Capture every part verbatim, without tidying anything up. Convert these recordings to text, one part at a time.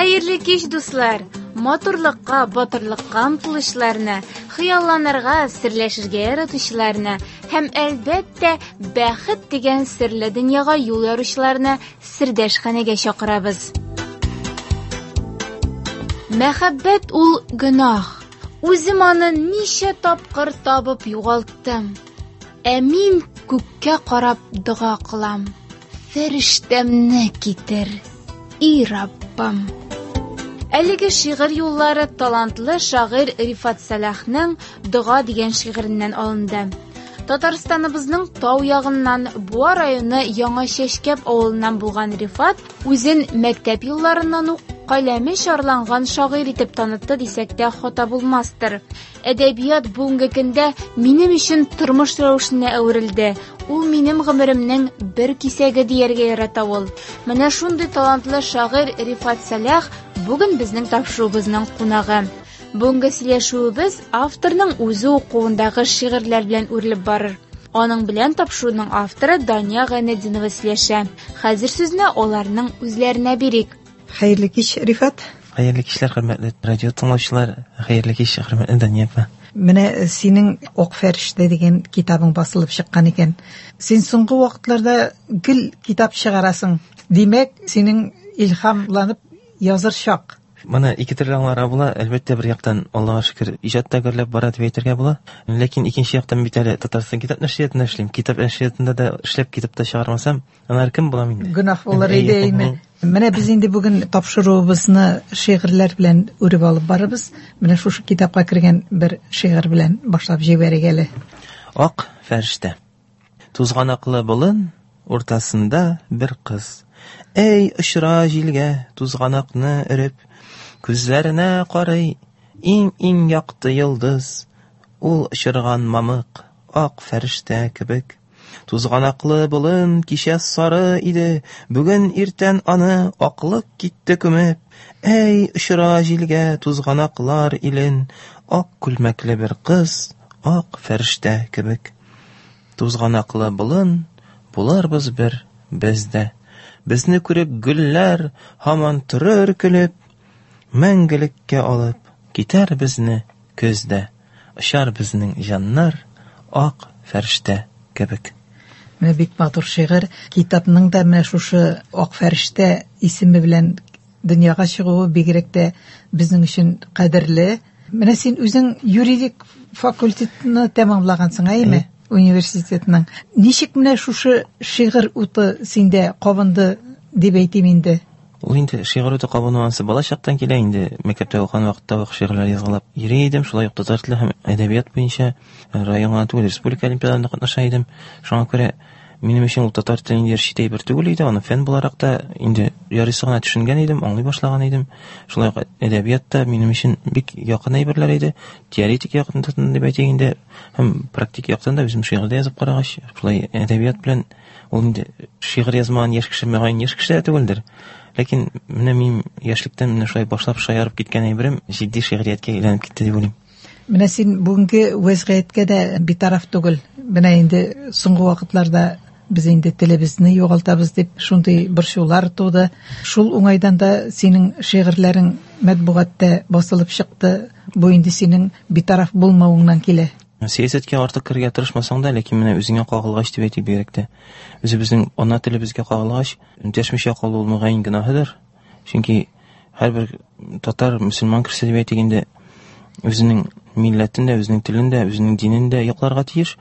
Хәерле кич, дуслар! Матурлыкка, батырлыкка омтылучыларны, хыялланырга, серләшергә яратучыларны һәм, әлбәттә, бәхет дигән серле дөньяга юл яручыларны сердәшханәгә чакырабыз. Мәхәббәт ул гөнаһ. Үзем аны ничә тапкыр табып югалттым. Ә мин күккә карап дога кылам. Фәрештәмне китер, и Раббым. Әлеге шигырь юллары талантлы шагыйрь Рифат Сәлахның «Дога» дигән шигыреннән алынды. Татарстаныбызның тау ягыннан Буа районы Яңа Чәчкәп авылыннан булган Рифат үзен мәктәп елларыннан ук каләме чарланган шагыйрь итеп танытты дисәк тә хата булмастыр. Әдәбият бүгенге көндә минем өчен тормыш рәвешенә әверелде. Ул минем гомеремнең бер кисәге дияргә ярата ул. Менә шундый талантлы шагыйрь Рифат Сәлах бүген безнең тапшыруыбызның кунагы. Бүгенге сөйләшүебез авторның үзе укуындагы шигырьләр белән үрелеп барыр. Аның белән тапшыруның авторы Дания Гайнетдинова сөйләшә. Хәзер сүзне аларның үзләренә бирик. Хәерле кич, Рифат. Хәерле кичләр, хөрмәтле радио тыңлаучылар. Хәерле кич, хөрмәтле Дания апа. Менә синең Ак фәрештә дигән китабың басылып чыккан икән. Син соңгы вакытларда гел китап чыгарасың. Димәк, синең илһамланып языр чак. Моны ике төрле аңларга була. Әлбәттә, бер яктан, Аллаһка шөкер, иҗат та гөрләп бара дип әйтергә була. Ләкин икенче яктан бит әле Татарстан китап нәшриятында эшлим. Китап нәшриятында да эшләп китап та чыгармасам, анар кем булам инде? Гөнаһ булыр иде, әйме? Менә без инде бүген тапшыруыбызны шигырьләр белән үреп алып барабыз. Менә шушы китапка кергән бер шигырь белән башлап җибәрик әле. Ак фәрештә. Тузганаклы болын уртасында бер кыз. Эй, очра җилгә, тузганакны өреп, күзләренә карый, иң-иң якты йолдыз. Ул очырган мамык, ак фәрештә кебек. Тузганаклы болын кичә сары иде, бүген иртән аны аклык китте күмеп. Эй, очыра җилгә тузганаклар илен, ак күлмәкле бер кыз, ак фәрештә кебек. Тузганаклы болын, булырбыз бер без дә. Безне күреп гөлләр һаман торыр көлеп, мәңгелеккә алып китәр безне көздә. Очар безнең җаннар ак фәрештә кебек. Менә бик матур шигырь. Китапның да менә шушы Ак фәрештә исеме белән дөньяга чыгуы бигрәк тә безнең өчен кадерле. Менә син үзең юридик факультетны тәмамлагансың, әйеме? Университетның. Ничек менә шушы шигырь уты синдә кабынды дип әйтим инде? Ул инде шигырь уты кабыну ансы бала чактан килә инде. Мәктәптә укыган вакытта ук шигырьләр язгалап йөри идем. Шулай ук татар теле һәм әдәбият буенча район гына түгел, республика олимпиадаларында катнаша идем. Шуңа күрә минем өчен ул татар теле инде чит әйбер түгел иде. Аны фән буларак та инде ярыйсы гына төшенгән идем, аңлый башлаган идем. Шулай ук әдәбият та минем өчен бик якын әйберләр иде. Теоретик яктан дип әйтик инде, һәм практик яктан да үзем шигырь дә язып карагач, шулай әдәбият белән ул инде шигырь язмаган яшь кеше мөгаен яшь кеше дә түгелдер. Ләкин менә мин яшьлектән менә шулай башлап шаярып киткән әйберем җитди шигърияткә әйләнеп китте дип уйлыйм. Менә син бүгенге вәзгыятькә дә битараф түгел. Менә инде соңгы вакытларда без инде телебезне югалтабыз дип шундый борчулар туды. Шул уңайдан да синең шигырьләрең матбугатта басылып чыкты. Бу инде синең битараф булмавыңнан килә. Сәясәткә артык керергә тырышмасаң да, ләкин менә үзеңә кагылгач дип әйтик бигрәк тә. Үзебезнең ана телебезгә кагылгач, дәшмичә калу ул мөгаен гөнаһыдыр. Чөнки һәрбер татар, мөселман кешесе дип әйтик инде үзенең милләтен дә, үзенең телен дә, үзенең динен дә якларга тиеш.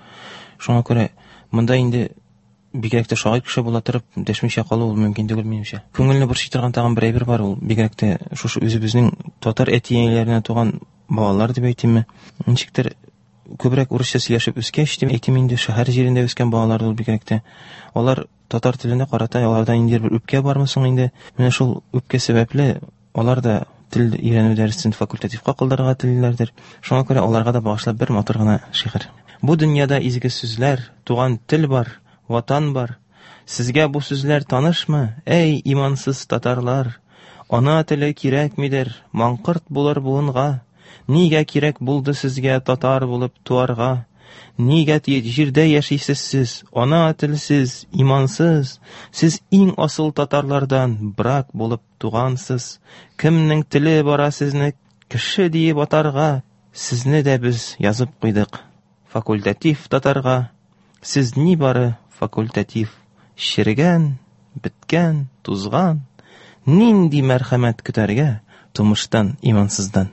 Шуңа күрә монда инде бигрәк тә шагыйрь кеше була торып дәшмичә калу ул мөмкин түгел минемчә. Күңелне борчый торган тагын бер әйбер бар, ул бигрәк тә шушы үзебезнең татар әти-әниләренә туган балалар дип әйтимме, ничектер күбрәк урысча сөйләшеп үскәч дип әйтим инде, шәһәр җирендә үскән балалар ул бигрәк тә. Алар татар теленә карата аларда инде бер үпкә бармы соң инде? Менә шул үпкә сәбәпле алар да тел өйрәнү дәресен факультативка калдырырга телиләрдер. Шуңа күрә аларга да багышлап бер матур гына шигырь. Бу дөньяда изге сүзләр, туган тел бар, ватан бар. Сезгә бу сүзләр танышмы, эй имансыз татарлар? Ана теле кирәкмидер, маңкырт булыр буынга. Нигә кирәк булды сезгә татар булып туарга? Нигә җирдә яшисез сез, ана телсез, имансыз? Сез иң асыл татарлардан брак булып тугансыз. Кемнең теле бара сезне кеше диеп атарга? Сезне дә без язып куйдык факультатив татарга. Сез ни бары факультатив, черегән, беткән, тузган. Нинди мәрхәмәт көтәргә тумыштан имансыздан?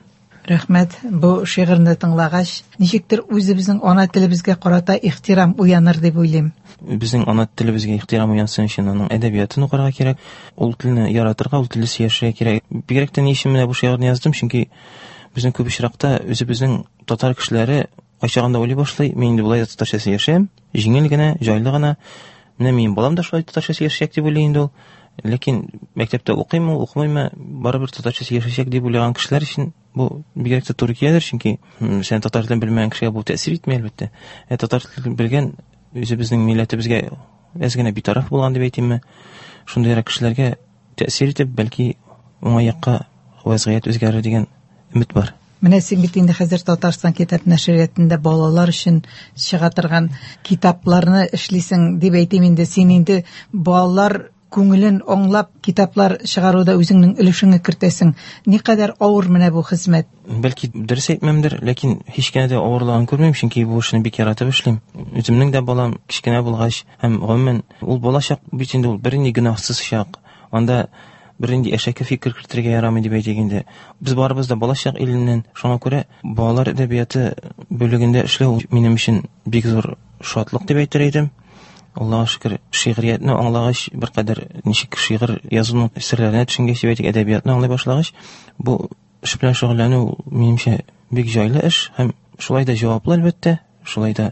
Рәхмәт. Бу шигырьне тыңлагач, ничектер үзебезнең ана телебезгә карата ихтирам уяныр дип уйлыйм. Безнең ана телебезгә ихтирам уянсын өчен аның әдәбиятын укырга кирәк, ул телне яратырга, ул телдә сөйләшергә кирәк. Бигрәк тә ни өчен менә бу шигырьне яздым, чөнки безнең күп очракта үзебезнең татар кешеләре кайчагында уйлый башлый, мин инде болай да татарча сөйләшәм, җиңел генә, җайлы гына. Менә минем балам да шулай татарча сөйләшәчәк дип уйлый инде ул. Ләкин мәктәптә укыймы, укымыймы, барыбер татарча сөйләшәчәк дип уйлаган кешеләр өчен бу бигрәк тә туры киләдер, чөнки сен татар телен белмәгән кешегә бу тәэсир итми, әлбәттә. Ә татар телен белгән үзебезнең милләтебезгә әз генә битараф булган дип әйтимме, шундыйрак кешеләргә тәэсир итеп, бәлки уңай якка вазгыять үзгәрер дигән өмет бар. Менә син бит инде хәзер Татарстан китап нәшриятында балалар өчен чыга торган китапларны эшлисең дип әйтим инде. Син инде балалар күңелен аңлап китаплар чыгаруда үзеңнең өлешеңне кертәсең. Никадәр авыр менә бу хезмәт. Бәлки дөрес әйтмәмдер, ләкин һич кенә дә авырлыгын күрмим, чөнки бу эшне бик яратып эшлим. Үземнең дә балам кечкенә булгач һәм гомумән ул балачак бит инде ул бернинди гөнаһсыз чак. Анда бернинди әшәке фикер кертергә ярамый дип әйтик инде. Без барыбыз да балачак иленнән, шуңа күрә балалар әдәбияты бүлегендә эшләү минем өчен бик зур шатлык дип әйтер идем. Аллаһка шөкер, шигъриятне аңлагач, беркадәр ничек шигырь язуның серләренә төшенгәч, дип әйтик, әдәбиятны аңлый башлагач, бу эш белән шөгыльләнү минемчә бик җайлы эш һәм шулай да җаваплы, әлбәттә, шулай да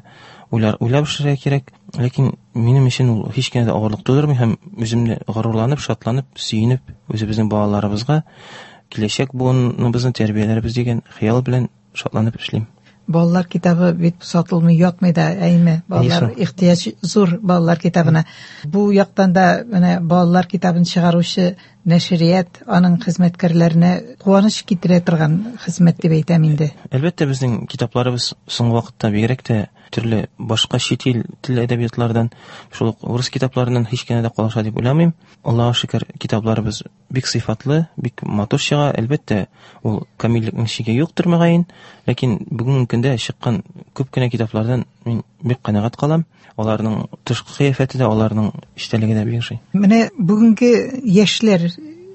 уйлар уйлап эшләргә кирәк. Ләкин минем өчен ул һич кенә дә авырлык тудырмый һәм үземне горурланып, шатланып, сөенеп, үзебезнең балаларыбызга киләчәк буыныбызны тәрбияләрбез дигән хыял белән шатланып эшлим. Балалар китабы бит сатылмый, ятмый да, әйме? Балалар ихтыяҗ зур балалар китабына. Бу яктан да менә балалар китабын чыгаручы нәшрият, аның хезмәткәрләренә куаныч китерә торган хезмәт дип әйтәм инде. Әлбәттә, безнең китапларыбыз соңгы вакытта бигрәк тә төрле башка чит ил тел әдәбиятлардан, шул ук урыс китапларыннан һич кенә дә калыша дип уйламыйм. Аллаһка шөкер, китапларыбыз бик сыйфатлы, бик матур чыга. Әлбәттә, ул камиллекнең чиге юктыр мөгаен, ләкин бүгенге көндә чыккан күп кенә китаплардан мин бик канәгать калам. Аларның тышкы кыяфәте дә, аларның эчтәлеге дә бик ошый. Менә бүгенге яшьләр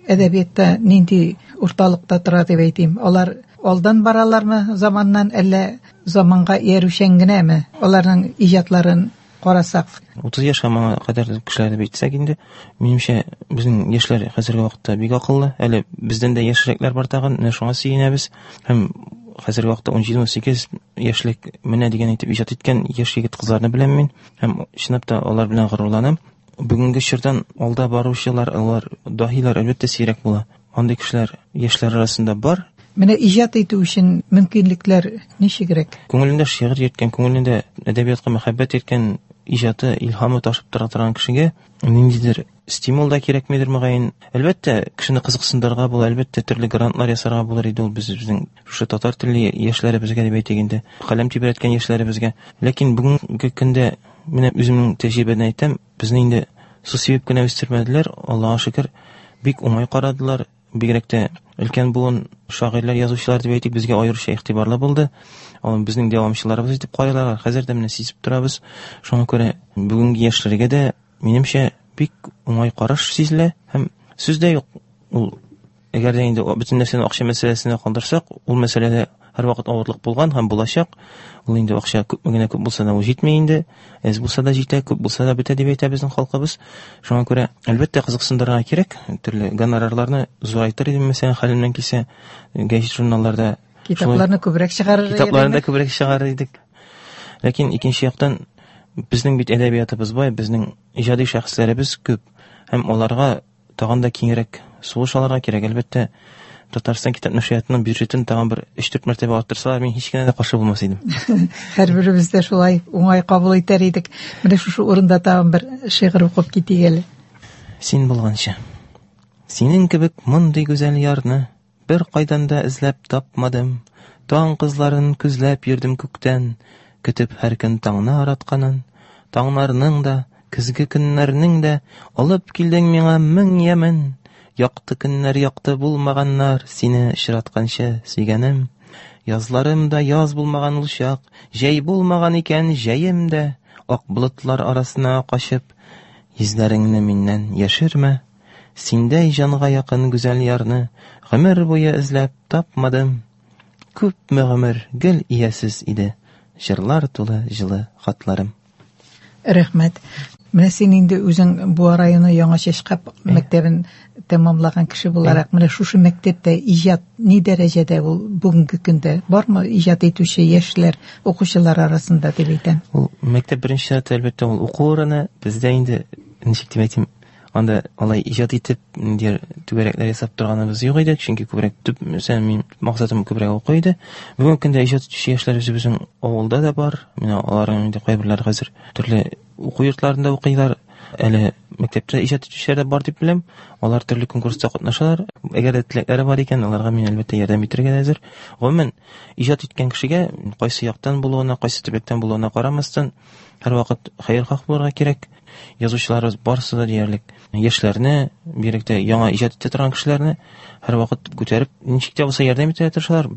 әдәбиятта нинди урталыкта тора дип әйтим? Алар алдан баралармы заманнан, әллә заманга иярүчән генәме? Аларның иҗатларын карасак. Утыз яшь һәм аңа кадәр кешеләрне әйтсәк инде, минемчә, безнең яшьләр хәзерге вакытта бик акыллы. Әле бездән дә яшьрәкләр бар тагын, менә шуңа сөенәбез. Һәм хәзерге вакытта ун җиде, ун сигез яшьлек менә дигән итеп иҗат иткән яшь егет кызларны беләм мин. Һәм чынлап та алар белән горурланам. Бүгенге чордан алда баручылар, алар даһилар әлбәттә сирәк була. Андый кешеләр яшьләр арасында бар. Менә иҗат итү өчен мөмкинлекләр ничегрәк? Күңелендә шигырь йөрткән, күңелендә әдәбиятка мәхәббәт йөрткән, иҗаты, илһамы ташып тора торган кешегә ниндидер стимул да кирәкмидер мөгаен. Әлбәттә, кешене кызыксындырырга була, әлбәттә, төрле грантлар ясарга булыр иде ул без безнең шушы татар телле яшьләребезгә дип әйтик инде, каләм тибрәткән яшьләребезгә. Ләкин бүгенге көндә менә үземнең тәҗрибәдән әйтәм, безне инде су сибеп кенә үстермәделәр, Аллаһка шөкер, бик уңай карадылар. Бигрәк тә өлкән буын шагыйрьләр, язучылар дип әйтик, безгә аеруча игътибарлы булды. Алар безнең дәвамчыларыбыз итеп карыйлар. Хәзер дә менә сизеп торабыз. Шуңа күрә бүгенге яшьләргә дә, минемчә, бик уңай караш сизелә һәм сүз дә юк. Ул әгәр дә инде бөтен нәрсәне акча мәсьәләсенә калдырсак, ул мәсьәләдә һәрвакыт авырлык булган һәм булачак. Ул инде акча күпме генә күп булса да ул җитми инде. Әз булса да җитә, күп булса да бетә дип әйтә безнең халкыбыз. Шуңа күрә әлбәттә кызыксындырырга кирәк. Төрле гонорарларны зурайтыр идем, мәсәлән, хәлемнән килсә, гәзит журналларда китапларны күбрәк чыгарыр идек. Китапларны да күбрәк чыгарыр идек. Ләкин икенче яктан безнең бит әдәбиятыбыз бай, безнең иҗади шәхесләребез күп һәм аларга тагын да киңрәк сулыш алырга кирәк. Әлбәттә, Татарстан китап нәшриятының бюджетын тагын бер өч-дүрт мәртәбә арттырсалар, мин һич кенә дә каршы булмас идем. Һәрберебез дә шулай уңай кабул итәр идек. Менә шушы урында тагын бер шигырь укып китик әле. Син булганчы. Синең кебек мондый гүзәл ярны бер кайдан да эзләп тапмадым. Таң кызларын күзләп йөрдем күктән. Көтеп һәр көн таңны аратканын, таңнарның да, көзге көннәрнең дә алып килдең миңа мең ямен. Якты көннәр якты булмаганнар, сине очратканчы сөйгәнем. Язларым да яз булмаган ул чак, җәй булмаган икән җәем дә. Ак болытлар арасына качып, йөзләреңне миннән яшермә. Синдәй җанга якын гүзәл ярны гомер буе эзләп тапмадым. Күпме гомер гел иясез иде, җырлар тулы җылы хатларым. Рәхмәт. Менә син инде үзең Буа районы Яңа Чәчкап мәктәбен тәмамлаган кеше буларак, менә шушы мәктәптә иҗат ни дәрәҗәдә ул бүгенге көндә? Бармы иҗат итүче яшьләр, укучылар арасында дип әйтәм? Ул мәктәп беренче чиратта әлбәттә ул уку урыны. Бездә инде ничек дип әйтим, анда алай иҗат итеп ниндидер түгәрәкләр ясап торганыбыз юк иде, чөнки күбрәк төп, мәсәлән, мин максатым күбрәк уку иде. Бүгенге көндә иҗат итүче яшьләр үзебезнең авылда да бар. Менә аларның инде кайберләре хәзер төрле уку йортларында укыйлар. Әле мәктәптә иҗат итүчеләр дә бар дип беләм. Алар төрле конкурста катнашалар. Әгәр дә теләкләре бар икән, аларга мин әлбәттә ярдәм итәргә әзер. Гомумән, иҗат иткән кешегә кайсы яктан булуына, кайсы төбәктән булуына карамастан, һәрвакыт хәерхаһ булырга кирәк. Язучыларыбыз барысы да диярлек яшьләрне, бигрәк тә яңа иҗат итә торган кешеләрне һәрвакыт күтәреп, ничек тә булса ярдәм итәргә тырышалар.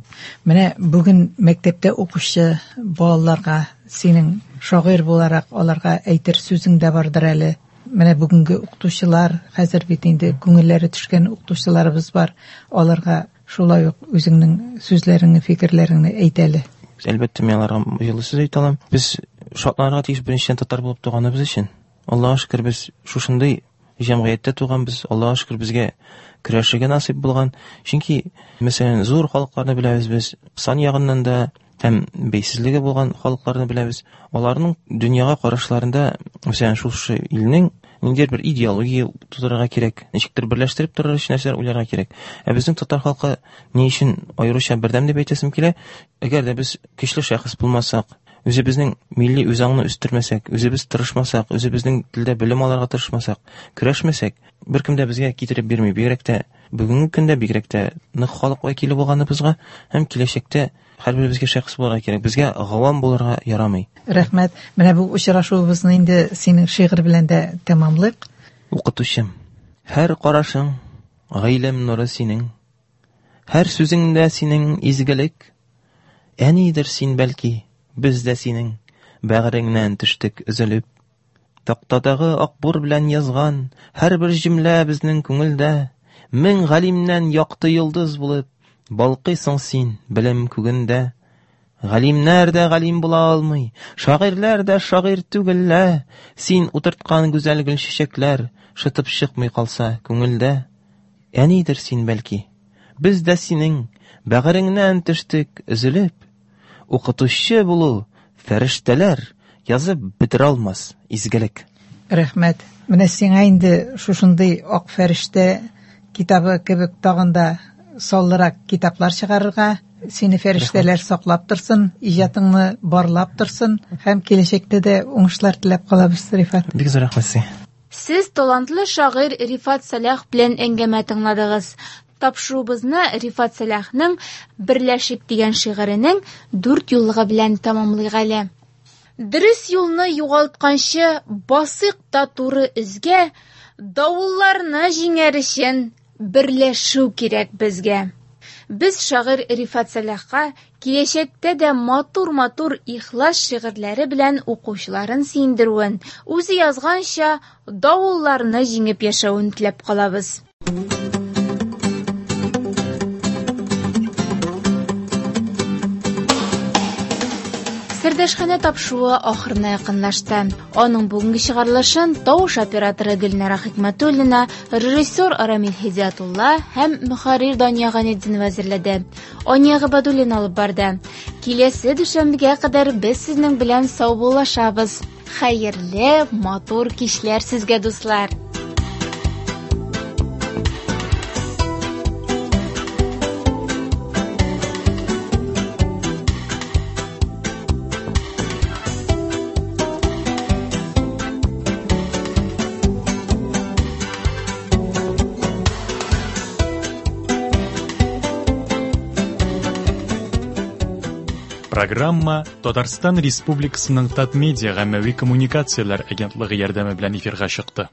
Менә бүген мәктәптә укучы балаларга синең шагыйрь буларак аларга әйтер сүзең дә бардыр әле. Менә бүгенге укытучылар, хәзер бит инде күңелләре төшкән укытучыларыбыз бар. Аларга шулай ук үзеңнең сүзләреңне, фикерләреңне әйт әле. Әлбәттә, мин аларга җылы сүз әйтә алам. Без шатланырга тиеш беренчедән татар булып туганыбыз өчен. Аллаһка шөкер, без шушындый җәмгыятьтә туганбыз. Аллаһка шөкер, безгә көрәшергә насыйп булган. Чөнки, мәсәлән, зур халыкларны беләбез без, сан ягыннан да һәм бәйсезлеге булган халыкларны беләбез. Аларның дөньяга карашларында, мәсәлән, шушы илнең ниндидер бер идеология тудырырга кирәк, ничектер берләштереп торыр өчен нәрсәләр уйларга кирәк. Ә безнең татар халкы ни өчен аеруча бердәм дип әйтәсем килә? Әгәр дә без көчле шәхес булмасак, үзебезнең милли үзаңны үстермәсәк, үзебез тырышмасак, үзебезнең телдә белем алырга тырышмасак, көрәшмәсәк, беркем дә безгә китереп бирми. Бигрәк тә бүгенге көндә, бигрәк тә нык халык вәкиле булганыбызга һәм киләчәктә һәрберебезгә шәхес булырга кирәк. Безгә гавам булырга ярамый. Рәхмәт. Менә бу очрашуыбызны инде синең шигырь белән дә тәмамлыйк. Укытучым, һәр карашың гыйлем нуры синең, һәр сүзеңдә синең изгелек. Әнидер син бәлки, без дә синең бәгыреңнән төштек өзелеп. Тактадагы акбур белән язган һәрбер җөмлә безнең күңелдә. Мең галимнән якты йолдыз булып балкыйсың син белем күгендә. Галимнәр дә галим була алмый, шагыйрьләр дә шагыйрь түгел лә. Син утырткан гүзәл гөлчәчәкләр шытып чыкмый калса күңелдә. Әнидер син бәлки, без дә синең бәгыреңнән төштек өзелеп. Укытучы булу фәрештәләр язып бетерә алмас изгелек. Рәхмәт. Менә сиңа инде шушындый ак фәрештә китабы кебек тагын да саллырак китаплар чыгарырга, сине фәрештәләр саклап торсын, иҗатыңны барлап торсын һәм киләчәктә дә уңышлар теләп калабыз, Рифат. Бик зур рәхмәт сезгә. Сез талантлы шагыйрь Рифат Сәлах белән әңгәмә тыңладыгыз. Тапшыруыбызны Рифат Сәлахның Берләшик дигән шигыренең дүрт юллыгы белән тәмамлыйк әле. Дөрес юлны югалтканчы басыйк та туры эзгә, давылларны җиңәр өчен берләшү кирәк безгә. Без шагыйрь Рифат Сәлахка киләчәктә дә матур-матур ихлас шигырьләре белән укучыларын сөендерүен, үзе язганча давылларны җиңеп яшәвен теләп калабыз. Сердәшханә тапшыруы ахырына якынлашты. Аның бүгенге чыгарылышын тавыш операторы Гөлнара Хикмәтуллина, режиссер Рамил Һидиятулла һәм мөхәррир Дания Ганетдинова әзерләде. Ания Габадуллина алып барды. Киләсе дүшәмбегә кадәр без сезнең белән саубуллашабыз. Хәерле, матур кичләр сезгә, дуслар! Программа Татарстан Республикасының Татмедиа гаммәви коммуникацияләр агентлыгы ярдәме белән эфирга чыкты.